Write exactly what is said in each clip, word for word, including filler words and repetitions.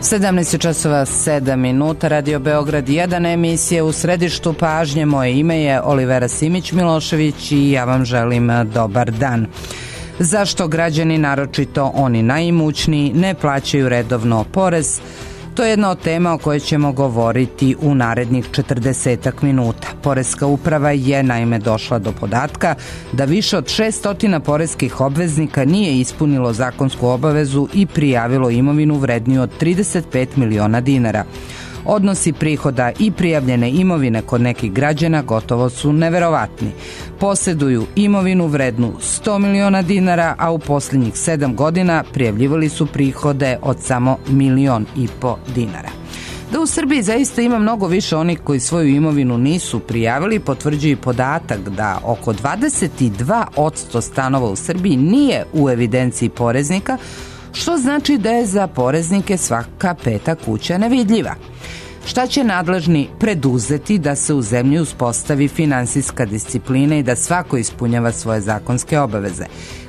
sedamnaest časova sedam minuta, Radio Beograd jedan, emisije U središtu pažnje. Moje ime je Olivera Simić-Milošević i ja vam želim dobar dan. Zašto građani, naročito oni najimućniji, ne plaćaju redovno porez? To je jedna od tema o kojoj ćemo govoriti u narednih četrdesetak minuta. Poreska uprava je naime došla do podatka da više od šeststotina poreskih obveznika nije ispunilo zakonsku obavezu i prijavilo imovinu vredniju od trideset pet miliona dinara. Odnosi prihoda i prijavljene imovine kod nekih građana gotovo su neverovatni. Posjeduju imovinu vrednu sto miliona dinara, a u posljednjih sedam godina prijavljivali su prihode od samo milion i po dinara. Da u Srbiji zaista ima mnogo više onih koji svoju imovinu nisu prijavili, potvrđuje podatak da oko dvadeset dva posto stanova u Srbiji nije u evidenciji poreznika, što znači da je za poreznike svaka peta kuća nevidljiva. Šta će nadležni preduzeti da se u zemlji uspostavi finansijska disciplina i da svako ispunjava svoje zakonske obaveze?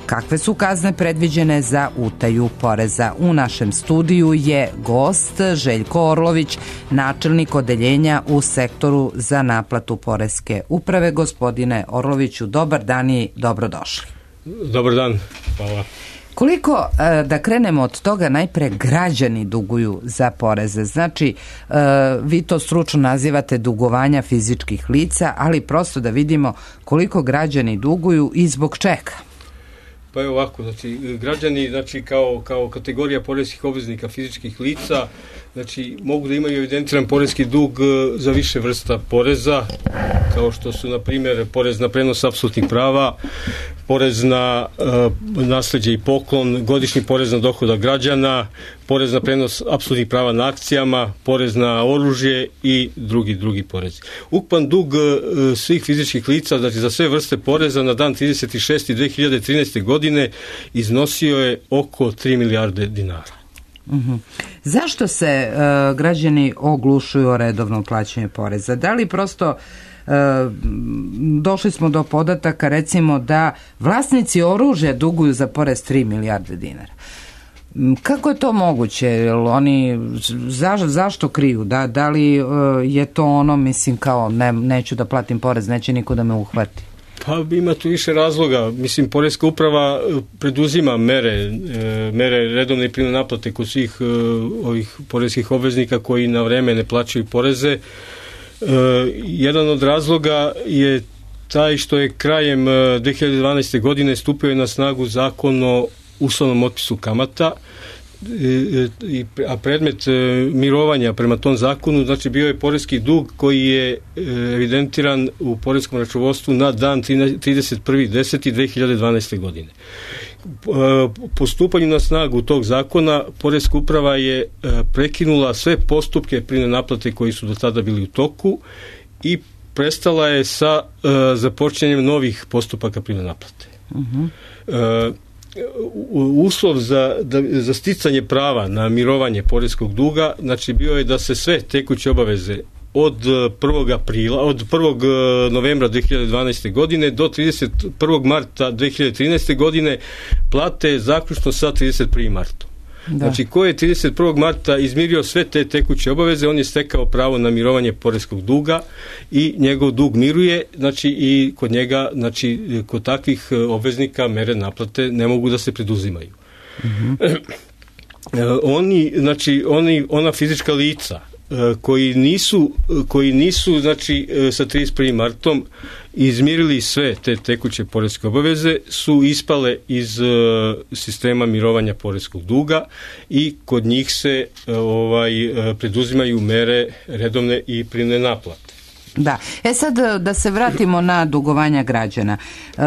Kakve su kazne predviđene za utaju poreza? U našem studiju je gost Željko Orlović, načelnik odeljenja u sektoru za naplatu poreske uprave. Gospodine Orloviću, dobar dan i dobrodošli. Dobar dan, hvala. Koliko, da krenemo od toga, najpre građani duguju za poreze? Znači, vi to stručno nazivate dugovanja fizičkih lica, ali prosto da vidimo koliko građani duguju i zbog čega. Pa je ovako, znači, građani, znači, kao, kao kategorija poreskih obveznika fizičkih lica, znači, mogu da imaju evidentiran poreski dug za više vrsta poreza, kao što su, na primjer, porez na prenos apsolutnih prava, porez na uh, nasleđe i poklon, godišnji porez na dohodak građana, porez na prenos apsolutnih prava na akcijama, porez na oružje i drugi drugi porezi. Ukupan dug uh, svih fizičkih lica, znači za sve vrste poreza na dan trideset šesti dve hiljade trinaeste. godine iznosio je oko tri milijarde dinara. Uh-huh. Zašto se uh, građani oglušuju o redovno plaćanje poreza? Da li prosto uh, došli smo do podataka, recimo, da vlasnici oružja duguju za porez tri milijarde dinara? Kako je to moguće? Jel oni za, zašto kriju? Da, da li uh, je to ono, mislim, kao ne, neću da platim porez, neće niko da me uhvati? Pa ima tu više razloga. Mislim, poreska uprava preduzima mere, mere redovne i prinudne naplate kod svih ovih poreskih obveznika koji na vreme ne plaćaju poreze. Jedan od razloga je taj što je krajem dve hiljade dvanaeste. godine stupio je na snagu zakon o uslovnom otpisu kamata, a predmet mirovanja prema tom zakonu, znači, bio je poreski dug koji je evidentiran u poreskom računovodstvu na dan trideset prvi deseti dve hiljade dvanaeste. godine. Po stupanju na snagu tog zakona, poreska uprava je prekinula sve postupke prinudne naplate koji su do tada bili u toku i prestala je sa započinjanjem novih postupaka prinudne naplate. Uh-huh. Uslov za, da, za sticanje prava na mirovanje poreskog duga, znači, bio je da se sve tekuće obaveze od prvog aprila, od prvog novembra dve hiljade dvanaeste. godine do trideset prvog marta dve hiljade trinaeste. godine plate zaključno sa trideset prvog marta. Da. Znači, ko je trideset prvog marta izmirio sve te tekuće obaveze, on je stekao pravo na mirovanje poreskog duga i njegov dug miruje, znači, i kod njega, znači, kod takvih obveznika mere naplate ne mogu da se preduzimaju. Mm-hmm. Oni, znači, oni, ona fizička lica koji nisu, koji nisu, znači, sa trideset prvog martom izmirili sve te tekuće poreske obaveze, su ispale iz uh, sistema mirovanja poreskog duga i kod njih se uh, ovaj, uh, preduzimaju mere redovne i prinudne naplate. Da. E sad da se vratimo na dugovanja građana. E,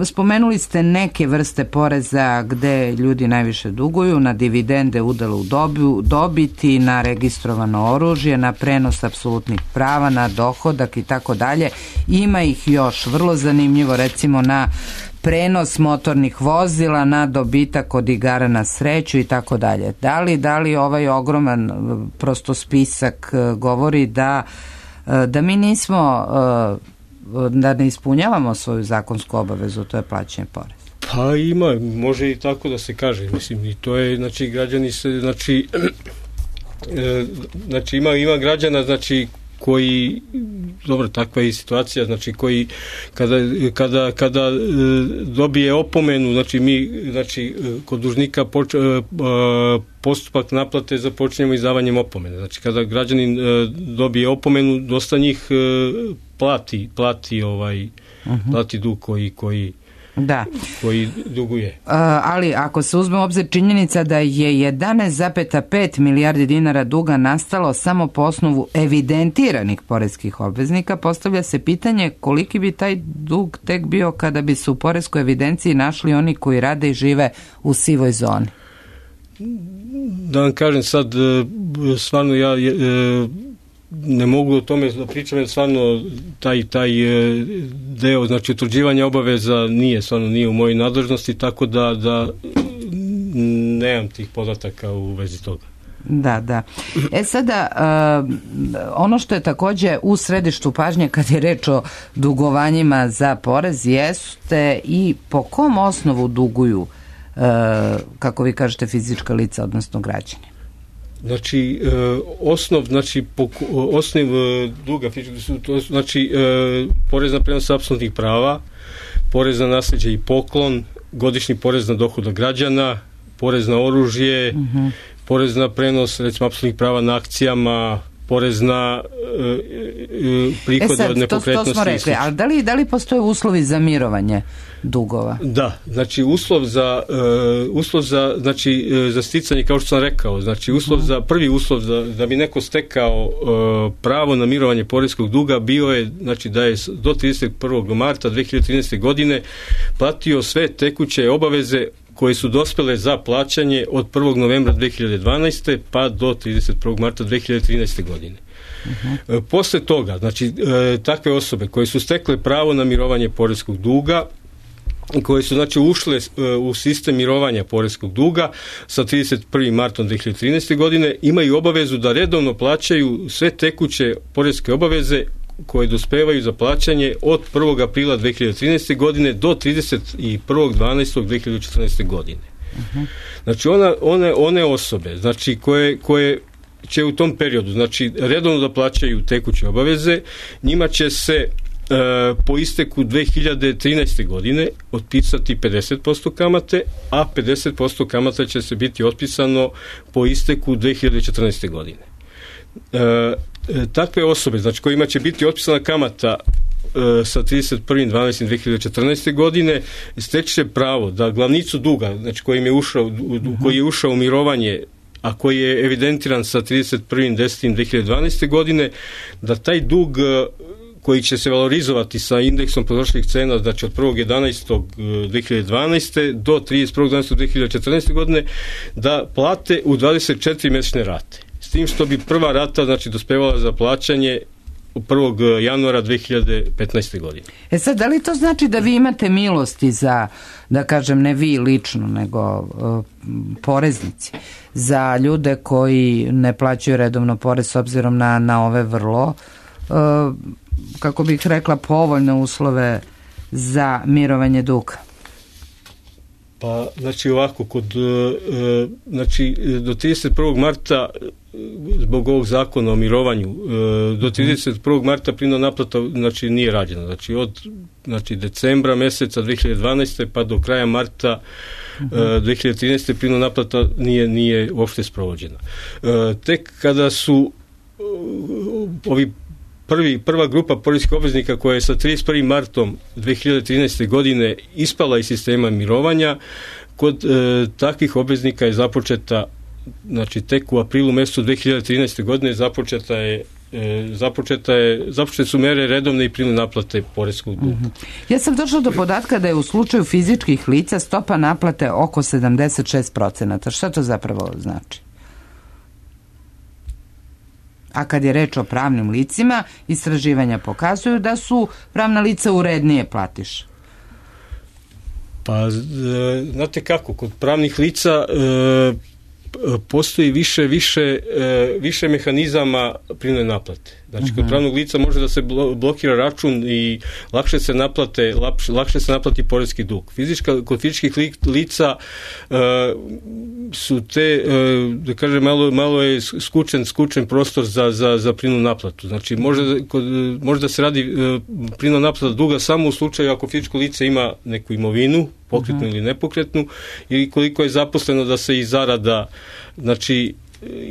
spomenuli ste neke vrste poreza gde ljudi najviše duguju, na dividende, udelu u dobu, dobiti, na registrovano oružje, na prenos apsolutnih prava, na dohodak i tako dalje. Ima ih još, vrlo zanimljivo, recimo na prenos motornih vozila, na dobitak od igara na sreću i tako dalje. Da li, da li ovaj ogroman prosto spisak govori da da mi nismo, da ne ispunjavamo svoju zakonsku obavezu, to je plaćanje poreza? Pa ima, može i tako da se kaže, mislim, i to je, znači, građani se, znači, e, znači ima, ima građana, znači koji, dobro, takva je i situacija, znači koji kada, kada, kada dobije opomenu, znači mi, znači kod dužnika poč, postupak naplate započinjemo izdavanjem opomene. Znači kada građanin dobije opomenu, dosta njih plati, plati ovaj, uh-huh. plati dug koji, koji Da. koji duguje. Uh, ali ako se uzme u obzir činjenica da je jedanaest zarez pet milijardi dinara duga nastalo samo po osnovu evidentiranih poreskih obveznika, postavlja se pitanje koliki bi taj dug tek bio kada bi se u poreskoj evidenciji našli oni koji rade i žive u sivoj zoni. Da vam kažem sad, stvarno ja ne mogu o tome da pričam, jer stvarno taj, taj deo, znači utvrđivanja obaveza nije, stvarno nije u mojoj nadležnosti, tako da, da nemam tih podataka u vezi toga. Da, da. E sada, uh, ono što je takođe u središtu pažnje kad je reč o dugovanjima za porez jeste i po kom osnovu duguju, uh, kako vi kažete, fizička lica, odnosno građani. Znači, osnov, znači, osnov duga, znači, porez na prenos apsolutnih prava, porez na nasljeđe i poklon, godišnji porez na dohodak građana, porez na oružje, uh-huh. porez na prenos, recimo, apsolutnih prava na akcijama, porez na uh, prihode e sad, od nepokretnosti. To, to smo rekli, ali da li, da li postoje uslovi za mirovanje dugova? Da, znači uslov za uh, uslov za, znači, uh, za sticanje, kao što sam rekao, znači uslov uh-huh. za, prvi uslov za, da bi neko stekao uh, pravo na mirovanje poreskog duga bio je, znači, da je do trideset prvog marta dve hiljade trinaeste. godine platio sve tekuće obaveze koje su dospele za plaćanje od prvog novembra dve hiljade dvanaeste. pa do trideset prvog marta dve hiljade trinaeste. godine. Uh-huh. Posle toga, znači, takve osobe koje su stekle pravo na mirovanje poreskog duga, koje su, znači, ušle u sistem mirovanja poreskog duga sa trideset prvog marta dve hiljade trinaeste. godine, imaju obavezu da redovno plaćaju sve tekuće poreske obaveze koje dospevaju za plaćanje od prvog aprila dve hiljade trinaeste. godine do trideset prvog decembra dve hiljade četrnaeste. godine. Uh-huh. Znači, ona, one, one osobe, znači, koje, koje će u tom periodu, znači, redovno da plaćaju tekuće obaveze, njima će se e, po isteku dve hiljade trinaeste. godine otpisati pedeset posto kamate, a pedeset posto kamata će se biti otpisano po isteku dve hiljade četrnaeste. godine. E, takve osobe, znači, kojima će biti otpisana kamata e, sa trideset prvog decembra dve hiljade četrnaeste. godine, steće pravo da glavnicu duga, znači, koji je ušao, u, koji je ušao u mirovanje, a koji je evidentiran sa trideset prvog desetog dve hiljade dvanaeste. godine, da taj dug koji će se valorizovati sa indeksom potrošačkih cena, znači od prvog jedanaestog dve hiljade dvanaeste. do trideset prvog decembra dve hiljade četrnaeste. godine, da plate u dvadeset četiri mesečne rate. S tim što bi prva rata, znači, dospevala za plaćanje prvog januara dve hiljade petnaeste. godine. E sad, da li to znači da vi imate milosti za, da kažem, ne vi lično, nego uh, poreznici, za ljude koji ne plaćaju redovno porez s obzirom na, na ove vrlo, uh, kako bih rekla, povoljne uslove za mirovanje duga? Pa, znači, ovako, kod, uh, znači, do trideset prvog marta zbog ovog zakona o mirovanju, do trideset prvog marta prinudna naplata, znači, nije rađena. Znači, od, znači, decembra meseca dve hiljade dvanaeste. pa do kraja marta uh-huh. dve hiljade trinaeste. prinudna naplata nije, nije uopšte sprovođena. Tek kada su ovi prvi, prva grupa poreskih obveznika koja je sa trideset prvog marta dve hiljade trinaeste. godine ispala iz sistema mirovanja, kod e, takvih obveznika je započeta, znači, tek u aprilu mesecu dve hiljade trinaeste. godine započeta je E, započeta je, započete su mere redovne i prinudne naplate poreskog duga. Uh-huh. Ja sam došla do podatka da je u slučaju fizičkih lica stopa naplate oko sedamdeset šest procenata. Šta to zapravo znači? A kad je reč o pravnim licima, istraživanja pokazuju da su pravna lica urednije platiše. Pa, znate kako, kod pravnih lica e, postoji više, više, više mehanizama prinudne naplate. Znači, kod pravnog lica može da se blokira račun i lakše se naplate, lakše, lakše se naplati poreski dug. Fizička, kod fizičkih lica uh, su te, uh, da kažem, malo, malo je skučen, skučen prostor za, za, za prinudnu naplatu. Znači, može, kod, može da se radi uh, prinudna naplata duga samo u slučaju ako fizičko lice ima neku imovinu, pokretnu uh-huh. ili nepokretnu, ili koliko je zaposleno da se i zarada, znači,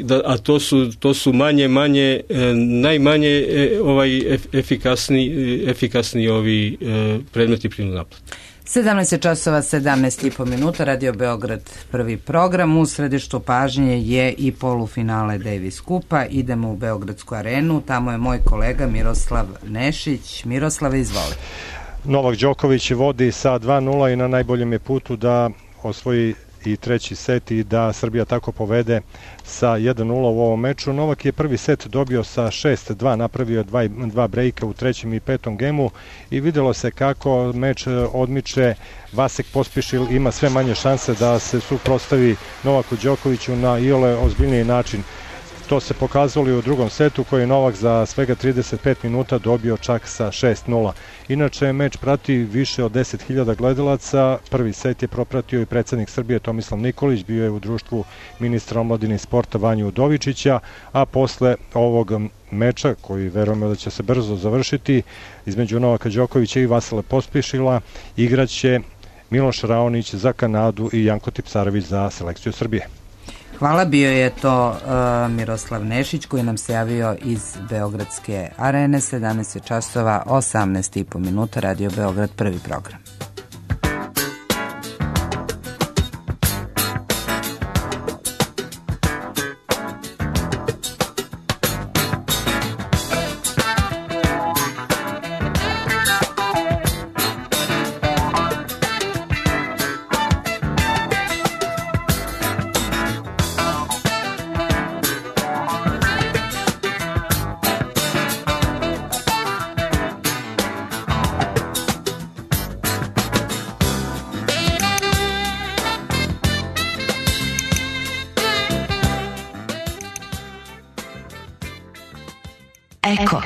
da, a to su, to su manje, manje, e, najmanje e, ovaj efikasni, efikasni ovi e, predmeti prinudne naplate. sedamnaest časova sedamnaest i po minuta, Radio Beograd prvi program. U središtu pažnje je i polufinale Davis Kupa. Idemo u Beogradsku arenu, tamo je moj kolega Miroslav Nešić. Miroslave, izvoli. Novak Đoković vodi sa dva nula i na najboljem je putu da osvoji i treći set i da Srbija tako povede sa jedan nula u ovom meču. Novak je prvi set dobio sa šest dva, napravio dva, dva brejka u trećem i petom gemu i videlo se kako meč odmiče. Vasek Pospišil ima sve manje šanse da se suprotstavi Novaku Đokoviću na iole ozbiljniji način. To se pokazalo i u drugom setu koji je Novak za svega trideset pet minuta dobio čak sa šest nula. Inače, meč prati više od deset hiljada gledalaca. Prvi set je propratio i predsednik Srbije Tomislav Nikolić, bio je u društvu ministra omladine i sporta Vanju Udovičića, a posle ovog meča, koji verujemo da će se brzo završiti, između Novaka Đokovića i Vasila Pospišila, igraće Miloš Raonić za Kanadu i Janko Tipsarević za selekciju Srbije. Hvala, bio je to uh, Miroslav Nešić koji nam se javio iz Beogradske arene. sedamnaest časova osamnaest i po minuta, Radio Beograd prvi program. Eko.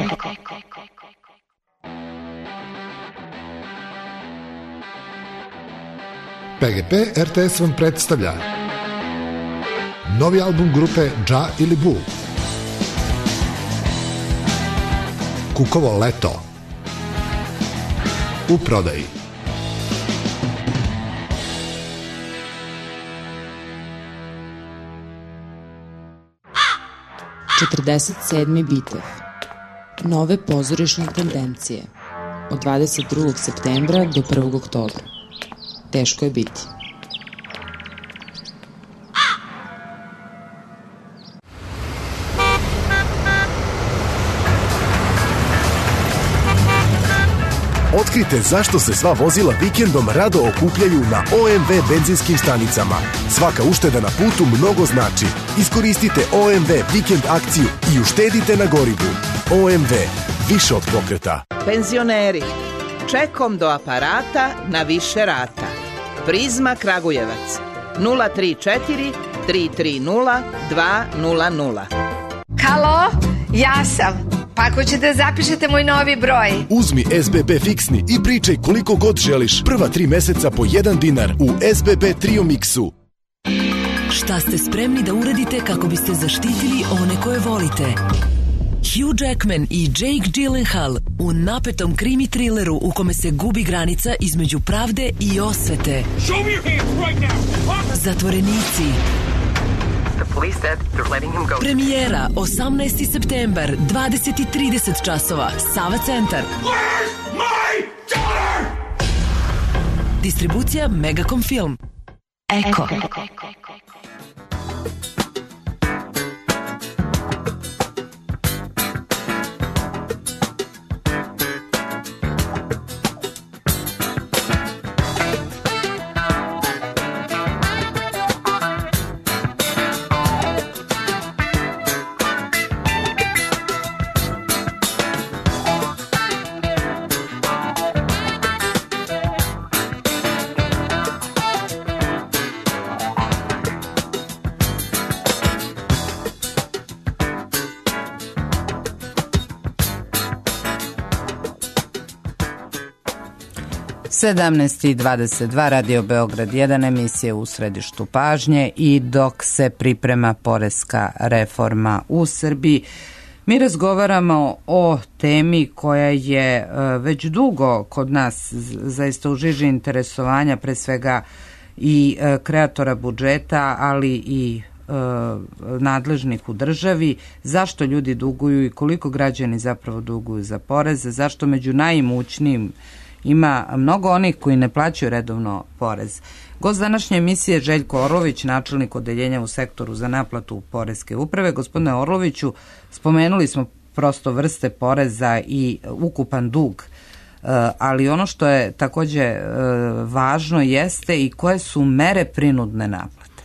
P G P R T S vam predstavlja novi album grupe Dža ili Bu, Kukovo leto, u prodaji. četrdeset sedmi bitev. Nove pozorišne tendencije. Od dvadeset drugog septembra do prvog oktobra. Teško je biti. Otkrite zašto se sva vozila vikendom rado okupljaju na O M V benzinskim stanicama. Svaka ušteda na putu mnogo znači. Iskoristite O M V vikend akciju i uštedite na gorivu. O M V, više od pokreta. Penzioneri, čekom do aparata na više rata. Prizma Kragujevac, nula tri četiri tri tri nula dva nula nula. Halo, ja sam. Pa ako ćete zapišete moj novi broj. Uzmi S B B fiksni i pričaj koliko god želiš. Prva tri meseca po jedan dinar u S B B Trio Mixu. Šta ste spremni da uradite kako biste zaštitili one koje volite? Hugh Jackman i Jake Gyllenhaal u napetom krimi trileru u kome se gubi granica između pravde i osvete. Zatvorenici. Premijera osamnaesti septembar, dvadeset i trideset časova, Sava centar. Distribucija Megacom Film. Eko. sedamnaest i dvadeset dva, Radio Beograd jedan, emisije u središtu pažnje i dok se priprema poreska reforma u Srbiji, mi razgovaramo o temi koja je već dugo kod nas zaista u žiži interesovanja, pre svega i kreatora budžeta, ali i nadležnih u državi. Zašto ljudi duguju i koliko građani zapravo duguju za poreze, zašto među najimućnijim ima mnogo onih koji ne plaćaju redovno porez. Gost današnje emisije Željko Orlović, načelnik odeljenja u sektoru za naplatu poreske uprave. Gospodine Orloviću, spomenuli smo prosto vrste poreza i ukupan dug, ali ono što je takođe važno jeste i koje su mere prinudne naplate.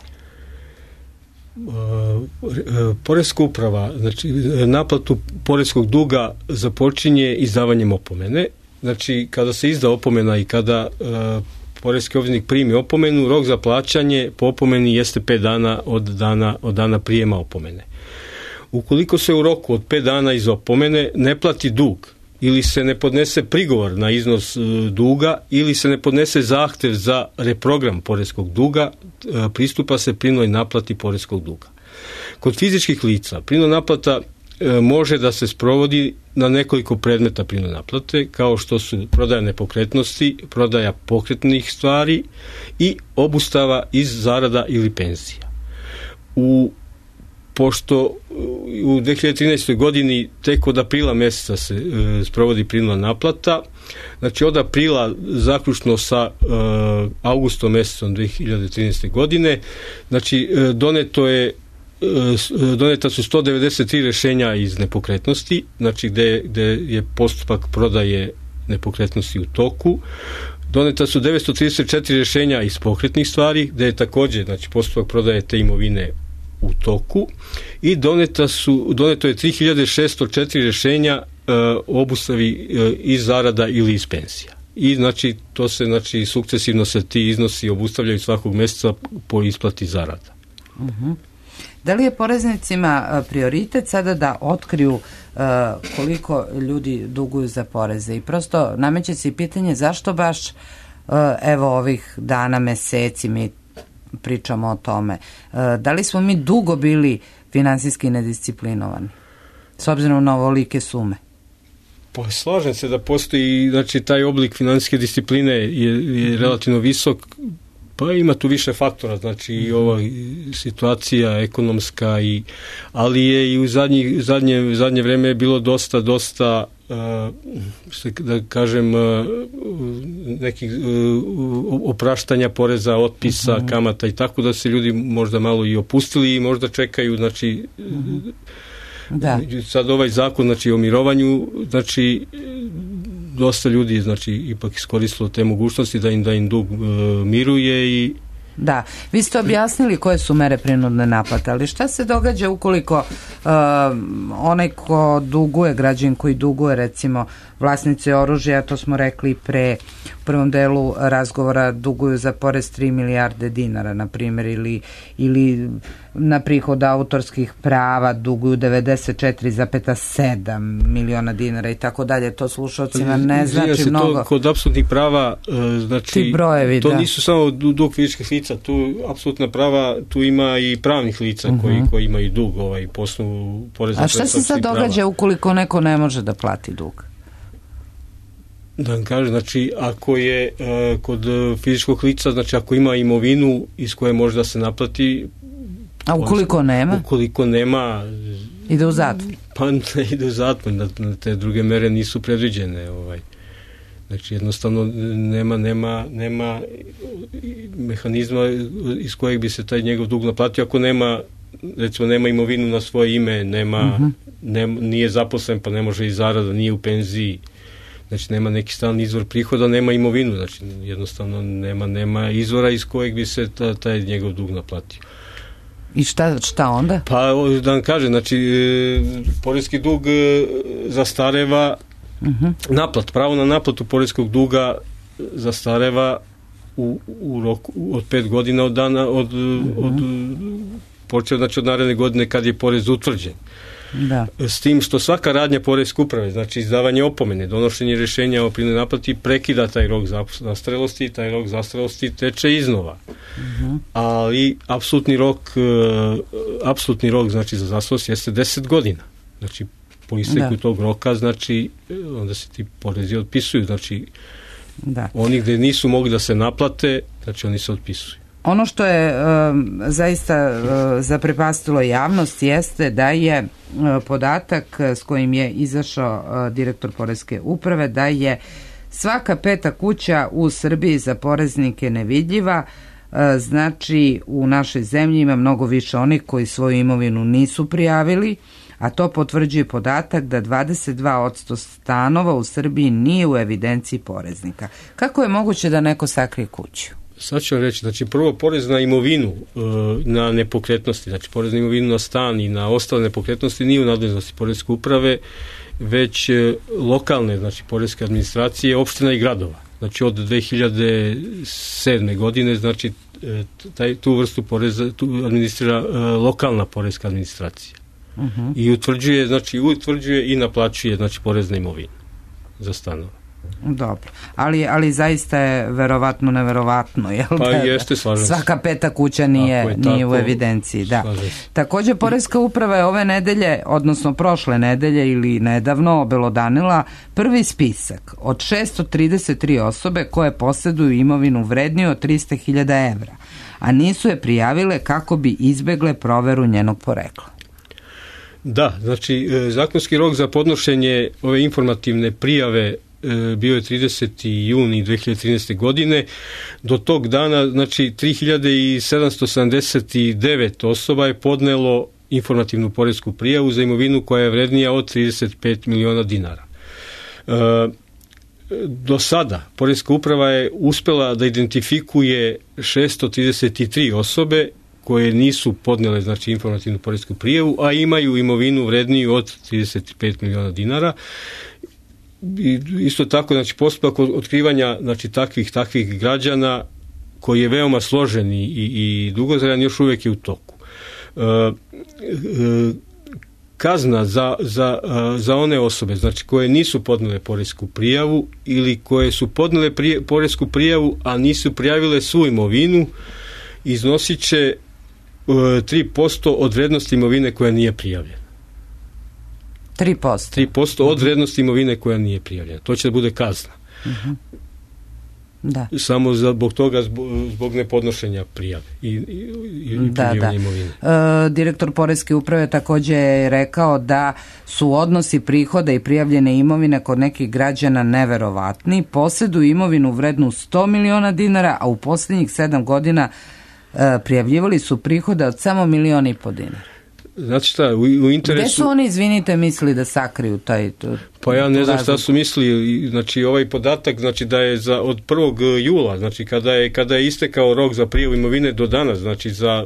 Poreska uprava, znači naplatu poreskog duga započinje izdavanjem opomene. Znači, kada se izda opomena i kada uh, poreski obveznik primi opomenu, rok za plaćanje po opomeni jeste pet dana od dana, od dana prijema opomene. Ukoliko se u roku od pet dana iz opomene ne plati dug ili se ne podnese prigovor na iznos uh, duga ili se ne podnese zahtev za reprogram poreskog duga, uh, pristupa se prinudnoj naplati poreskog duga. Kod fizičkih lica prinudna naplata može da se sprovodi na nekoliko predmeta prinudne naplate, kao što su prodaja nepokretnosti, prodaja pokretnih stvari i obustava iz zarada ili penzija. U, pošto u dve hiljade trinaestoj. godini tek od aprila meseca se e, sprovodi prinudna naplata, znači od aprila zaključno sa e, augustom mesecom dve hiljade trinaeste. godine, znači e, doneto je doneta su sto devedeset tri rešenja iz nepokretnosti, znači gde, gde je postupak prodaje nepokretnosti u toku. Doneta su devetsto trideset četiri rešenja iz pokretnih stvari, gde je takođe, znači, postupak prodaje te imovine u toku, i doneta su, doneto je tri hiljade šesto četiri rešenja uh, obustavi uh, iz zarada ili iz penzija. I znači to se, znači, sukcesivno se ti iznosi obustavljaju svakog meseca po isplati zarada. Mhm. Da li je poreznicima prioritet sada da otkriju uh, koliko ljudi duguju za poreze? I prosto nameće se i pitanje zašto baš uh, evo ovih dana, meseci mi pričamo o tome. Uh, da li smo mi dugo bili finansijski nedisciplinovani s obzirom na ovolike sume? Pa slažem se da postoji, znači, taj oblik finansijske discipline je, je relativno visok. Pa ima tu više faktora, znači i ova situacija ekonomska, i, ali je i u zadnje, zadnje, zadnje vreme je bilo dosta, dosta, uh, da kažem, uh, nekih uh, opraštanja poreza, otpisa, uh-huh. kamata i tako, da se ljudi možda malo i opustili i možda čekaju, znači, uh-huh. da. Sad ovaj zakon, znači, o mirovanju, znači, dosta ljudi, znači, ipak iskoristilo te mogućnosti da im, da im dug e, miruje. I da, vi ste objasnili koje su mere prinudne naplate, ali šta se događa ukoliko uh, onaj ko duguje, građanin koji duguje, recimo vlasnici oružja, to smo rekli pre u prvom delu razgovora, duguju za porez tri milijarde dinara, na primjer, ili, ili na prihod autorskih prava duguju devedeset četiri zarez sedam miliona dinara i tako dalje. To slušalcima ne znači se mnogo. To, kod apsolutnih prava, znači, ti brojevi, to da. nisu samo dug fizičkih lica, tu apsolutna prava, tu ima i pravnih lica uh-huh. koji, koji imaju dug, ovaj, po osnovu poreza. A šta se sad događa prava ukoliko neko ne može da plati dug? Da vam kažem, znači, ako je uh, kod fizičkog lica, znači, ako ima imovinu iz koje može da se naplati, a ukoliko on, nema? Ukoliko nema, ide u zatvor. Pa ne ide u zatvor, na, na te druge mere nisu predviđene. Ovaj. Znači, jednostavno nema, nema, nema mehanizma iz kojeg bi se taj njegov dug naplatio ako nema, recimo, nema imovinu na svoje ime, nema, uh-huh. nema, nije zaposlen, pa ne može i zarada, nije u penziji. Znači, nema neki stalni izvor prihoda, nema imovinu, znači jednostavno nema, nema izvora iz kojeg bi se ta, taj njegov dug naplatio. I šta, šta onda? Pa, da vam kažem, znači, e, poreski dug e, zastareva, uh-huh. naplat, pravo na naplatu poreskog duga zastareva u, u roku od pet godina od dana, od, uh-huh. od počeo, znači od naredne godine kad je porez utvrđen. Da. S tim što svaka radnja poreske uprave, znači izdavanje opomene, donošenje rješenja o prinudnoj naplati prekida taj rok zastarelosti i taj rok zastarelosti teče iznova. Uh-huh. Ali apsolutni rok apsolutni rok znači za zastarelost jeste deset godina. Znači po isteku da. tog roka, znači onda se ti porezi otpisuju, znači da. oni gde nisu mogli da se naplate, znači oni se otpisuju. Ono što je um, zaista uh, zaprepastilo javnost jeste da je uh, podatak s kojim je izašao uh, direktor poreske uprave, da je svaka peta kuća u Srbiji za poreznike nevidljiva. Uh, znači u našoj zemlji ima mnogo više onih koji svoju imovinu nisu prijavili, a to potvrđuje podatak da dvadeset dva posto stanova u Srbiji nije u evidenciji poreznika. Kako je moguće da neko sakrije kuću? Sad ću vam reći, znači prvo porez na imovinu, na nepokretnosti, znači porez na imovinu na stan i na ostale nepokretnosti nije u nadležnosti poreske uprave, već lokalne, znači poreske administracije, opština i gradova. Znači od dve hiljade sedme godine, znači taj, tu vrstu poreza tu administrira lokalna poreska administracija. Uh-huh. I utvrđuje, znači utvrđuje i naplaćuje, znači porez na imovinu za stanove. Dobro, ali, ali zaista je verovatno neverovatno, jel? Pa jeste, slažem se. Svaka peta kuća nije, nije tako, u evidenciji, da. Također, poreska uprava je ove nedelje, odnosno prošle nedelje ili nedavno obelodanila prvi spisak od šesto trideset tri osobe koje posjeduju imovinu vredniju od trista hiljada evra, a nisu je prijavile kako bi izbegle proveru njenog porekla. Da, znači zakonski rok za podnošenje ove informativne prijave bio je trideseti juni dve hiljade trinaeste. godine. Do tog dana, znači, tri hiljade sedamsto sedamdeset devet osoba je podnelo informativnu poresku prijavu za imovinu koja je vrednija od trideset pet miliona dinara. E, do sada poreska uprava je uspela da identifikuje šesto trideset tri osobe koje nisu podnele, znači, informativnu poresku prijavu, a imaju imovinu vredniju od trideset pet miliona dinara. I isto tako, znači, postupak otkrivanja, znači, takvih takvih građana koji je veoma složen i, i dugotrajan još uvijek je u toku. E, e, kazna za, za, za one osobe, znači, koje nisu podnele poresku prijavu ili koje su podnele prije, poresku prijavu, a nisu prijavile svu imovinu, iznosit će e, tri posto od vrednosti imovine koja nije prijavljena. tri posto. tri posto od vrednosti imovine koja nije prijavljena. To će da bude kazna. Uh-huh. Da. Samo zbog toga, zbog, zbog nepodnošenja prijave i, i, i da, da. imovine. E, direktor poreske uprave također je rekao da su odnosi prihoda i prijavljene imovine kod nekih građana neverovatni. Posjeduju imovinu vrednu sto miliona dinara, a u posljednjih sedam godina e, prijavljivali su prihode od samo milion i po dinara. Znači šta, u, u interesu... Gde su oni, izvinite, mislili da sakriju taj... To, pa ja ne znam šta su mislili, znači ovaj podatak, znači da je za, od prvog jula, znači kada je, kada je istekao rok za prijavu imovine do danas, znači za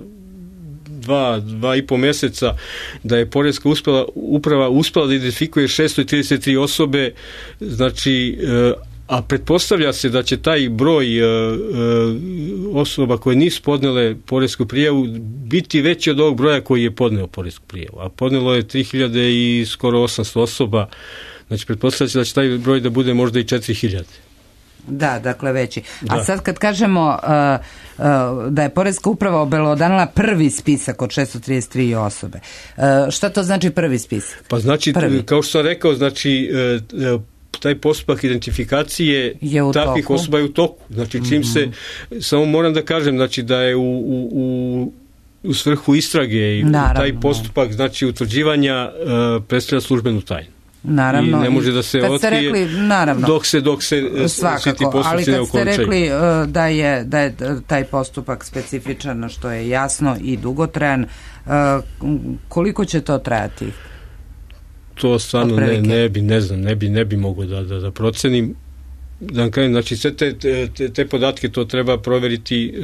dva, dva i po mjeseca, da je poreska uspela, uprava uspela da identifikuje šesto trideset tri osobe, znači... a pretpostavlja se da će taj broj e, e, osoba koje nisu podnele poresku prijavu biti veći od ovog broja koji je podneo poresku prijavu. A podnelo je tri hiljade i skoro osamsto osoba, znači pretpostavlja se da će taj broj da bude možda i četiri hiljade. Da, dakle veći. Da. A sad kad kažemo uh, uh, da je poreska uprava obelodanila prvi spisak od šesto trideset tri osobe, uh, šta to znači prvi spisak? Pa znači, prvi. Kao što sam rekao, znači uh, taj postupak identifikacije takvih toku. Osoba je u toku. Znači, čim mm-hmm. se, samo moram da kažem, znači, da je u, u, u, u svrhu istrage i naravno, taj postupak, znači, utvrđivanja uh, predstavlja službenu tajnu. Naravno. I ne može da se otkrije rekli, naravno, dok se, dok se svakako, svi ti postupci ne okončaju. Ali kad ste rekli uh, da, je, da je taj postupak specifičan, što je jasno i dugotrajan, uh, koliko će to trajati? To stvarno ne, ne bi, ne znam, ne bi, ne bi mogo da, da, da procenim. Da kažem, znači sve te, te, te podatke to treba proveriti e,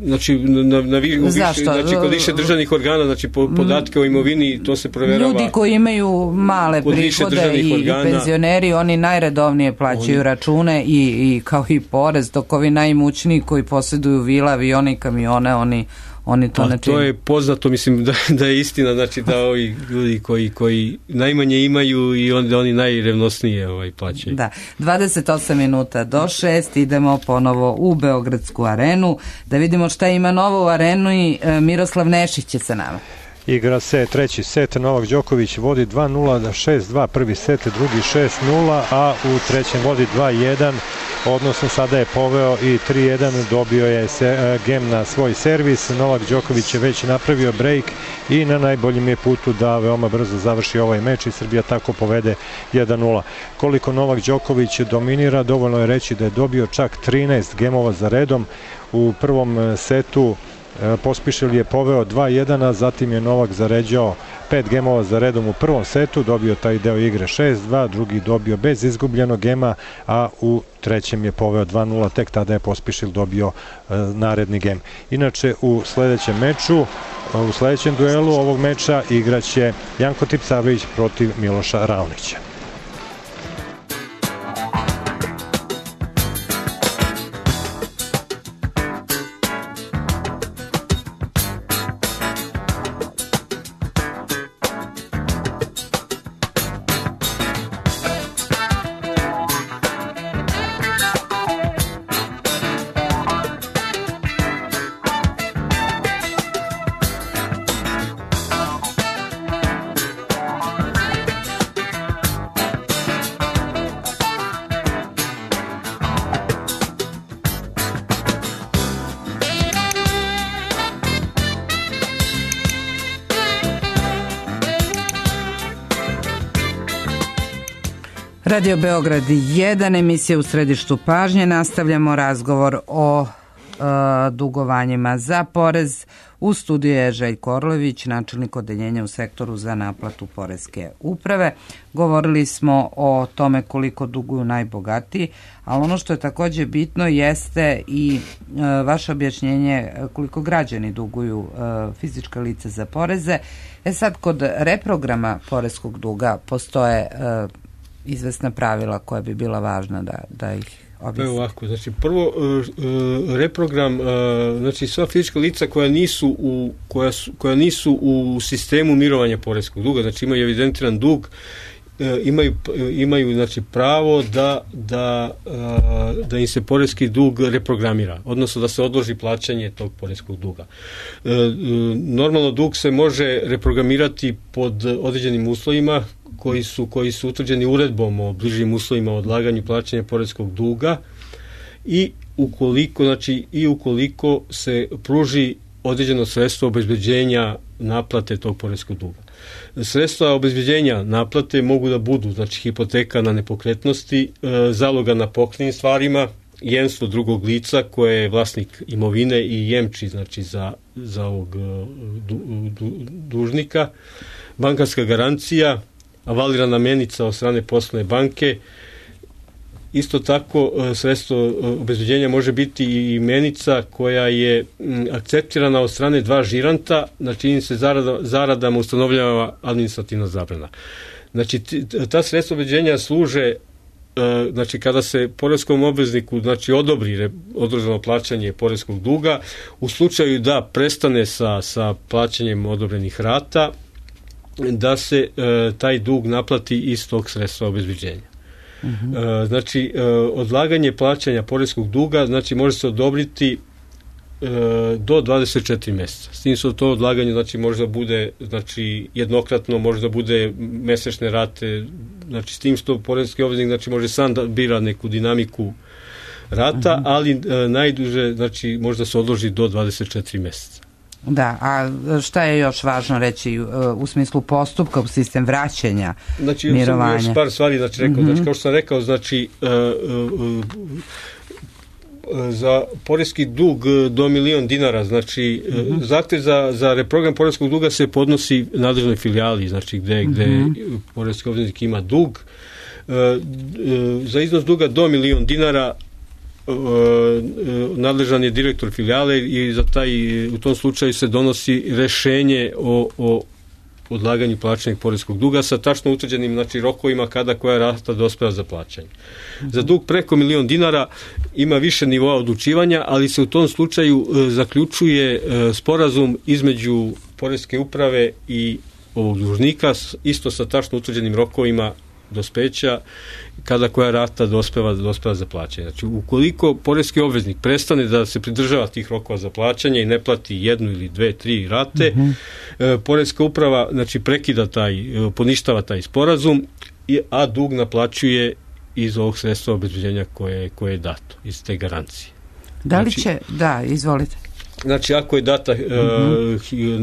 znači, na, na, vi, više, znači kod više državnih organa, znači po, podatke o imovini, to se proverava. Ljudi koji imaju male prihode i, i penzioneri, oni najredovnije plaćaju oni, račune i, i kao i porez, dok ovi najimućniji koji posjeduju vila, avione i kamione, oni oni to pa, ne čine. To je poznato, mislim da, da je istina, znači da ovi ljudi koji, koji najmanje imaju i onda oni najrevnosnije ovaj, plaćaju. Da, dvadeset osam minuta do šest, idemo ponovo u Beogradsku arenu, da vidimo šta ima novo u arenu i e, Miroslav Nešić je sa nama. Igra se treći set, Novak Đoković vodi dva nula, šest dva, prvi set, drugi šest nula, a u trećem vodi dva jedan, odnosno sada je poveo i tri jedan, dobio je se, gem na svoj servis. Novak Đoković je već napravio break i na najboljem je putu da veoma brzo završi ovaj meč i Srbija tako povede jedan nula. Koliko Novak Đoković dominira, dovoljno je reći da je dobio čak trinaest gemova za redom. U prvom setu Pospišil je poveo dva jedan, a zatim je Novak zaređao pet gemova za redom u prvom setu, dobio taj deo igre šest dva, drugi dobio bez izgubljenog gema, a u trećem je poveo dva nula, tek tada je Pospišil dobio e, naredni gem. Inače, u sledećem meču, u sledećem duelu ovog meča igraće Janko Tipsarević protiv Miloša Raonića. Radio Beograd jedan, emisija u središtu pažnje. Nastavljamo razgovor o e, dugovanjima za porez. U studiju je Željko Orlović, načelnik odeljenja u sektoru za naplatu poreske uprave. Govorili smo o tome koliko duguju najbogatiji, ali ono što je takođe bitno jeste i e, vaše objašnjenje koliko građani duguju e, fizička lica za poreze. E sad, kod reprograma poreskog duga postoje e, izvesna pravila koja bi bila važna da, da ih objasni. Ovako, znači prvo uh, reprogram, uh, znači sva fizička lica koja nisu u, koja su, koja nisu u sistemu mirovanja poreskog duga, znači imaju evidentiran dug, uh, imaju, imaju znači pravo da, da, uh, da im se poreski dug reprogramira, odnosno da se odloži plaćanje tog poreskog duga. Uh, uh, normalno dug se može reprogramirati pod određenim uslovima koji su, koji su utvrđeni uredbom o bližim uslovima o odlaganju plaćanja poreskog duga i ukoliko, znači, i ukoliko se pruži određeno sredstvo obezbeđenja naplate tog poreskog duga. Sredstva obezbeđenja naplate mogu da budu, znači, hipoteka na nepokretnosti, zaloga na pokretnim stvarima, jemstvo drugog lica koje je vlasnik imovine i jemči, znači, za, za ovog du, du, dužnika, bankarska garancija, avalirana menica od strane poslovne banke. Isto tako sredstvo obezbeđenja može biti i menica koja je akceptirana od strane dva žiranta, na čijim se zarada, zaradama ustanovljava administrativna zabrana. Znači ta sredstva obezbeđenja služe, znači kada se poreskom obvezniku, znači odobri odloženo plaćanje poreskog duga, u slučaju da prestane sa, sa plaćanjem odobrenih rata, da se e, taj dug naplati iz tog sredstva obezbeđenja. Uh-huh. E, znači, e, odlaganje plaćanja poreskog duga, znači, može se odobriti e, do dvadeset četiri meseca. S tim što to odlaganje, znači, može da bude, znači, jednokratno, može da bude mesečne rate, znači, s tim što poreski obveznik, znači, može sam da bira neku dinamiku rata, uh-huh. ali e, najduže, znači, može da se odloži do dvadeset četiri meseca. Da, a šta je još važno reći u smislu postupka, u sistem vraćanja, znači, mirovanja? Znači, još par stvari, znači, rekao, mm-hmm. znači, kao što sam rekao, znači, uh, uh, uh, za poreski dug do milion dinara, znači, mm-hmm. uh, zahtev za, za reprogram poreskog duga se podnosi nadležnoj filijali, znači, gde, gde mm-hmm. poreski obveznik ima dug. Uh, uh, za iznos duga do milion dinara nadležan je direktor filijale i za taj, u tom slučaju se donosi rešenje o, o odlaganju plaćanja poreskog duga sa tačno utvrđenim znači, rokovima kada koja rata dospeva za plaćanje. Mm-hmm. Za dug preko milion dinara ima više nivoa odlučivanja, ali se u tom slučaju e, zaključuje e, sporazum između poreske uprave i ovog dužnika, isto sa tačno utvrđenim rokovima dospeća kada koja rata dospeva, dospeva za plaćanje. Znači, ukoliko poreski obveznik prestane da se pridržava tih rokova za plaćanje i ne plati jednu ili dve, tri rate, mm-hmm. e, poreska uprava znači, prekida taj, e, poništava taj sporazum, a dug naplaćuje iz ovog sredstva obezbeđenja koje, koje je dato, iz te garancije. Da li znači, će, da, izvolite. Znači, ako je data mm-hmm.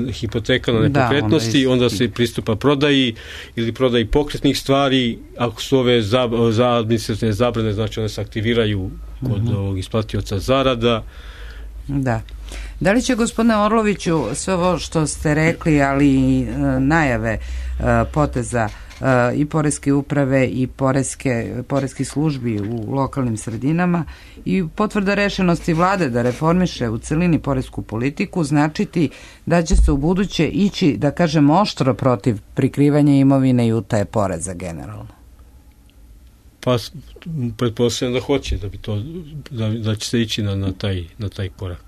uh, hipoteka na nepokretnosti, da, onda, onda se pristupa prodaji ili prodaji pokretnih stvari. Ako su ove za, za administrativne zabrane, znači one se aktiviraju kod mm-hmm. ovog isplatioca zarada. Da. Da li će, gospodine Orloviću, sve ovo što ste rekli, ali i uh, najave uh, poteza uh, i poreske uprave i poreske, poreskih službi u lokalnim sredinama i potvrda rešenosti vlade da reformiše u celini poresku politiku značiti da će se u buduće ići, da kažem, oštro protiv prikrivanja imovine i utaje poreza generalno? Pa pretpostavljam da hoće, da bi to da, da će se ići na, na, taj, na taj korak.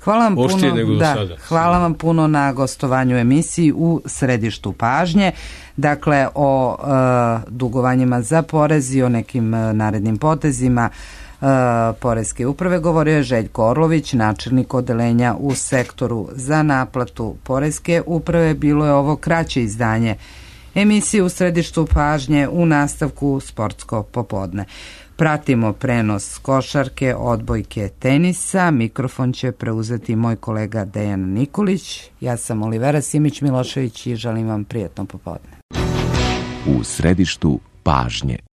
Hvala vam puno, da, hvala vam puno na gostovanju u emisiji u središtu pažnje. Dakle, o e, dugovanjima za porez i o nekim e, narednim potezima e, poreske uprave govorio je Željko Orlović, načelnik odeljenja u sektoru za naplatu poreske uprave. Bilo je ovo kraće izdanje emisije u središtu pažnje, u nastavku Sportsko popodne. Pratimo prenos košarke, odbojke, tenisa. Mikrofon će preuzeti moj kolega Dejan Nikolić. Ja sam Olivera Simić-Milošević i želim vam prijatno popodne. U središtu pažnje.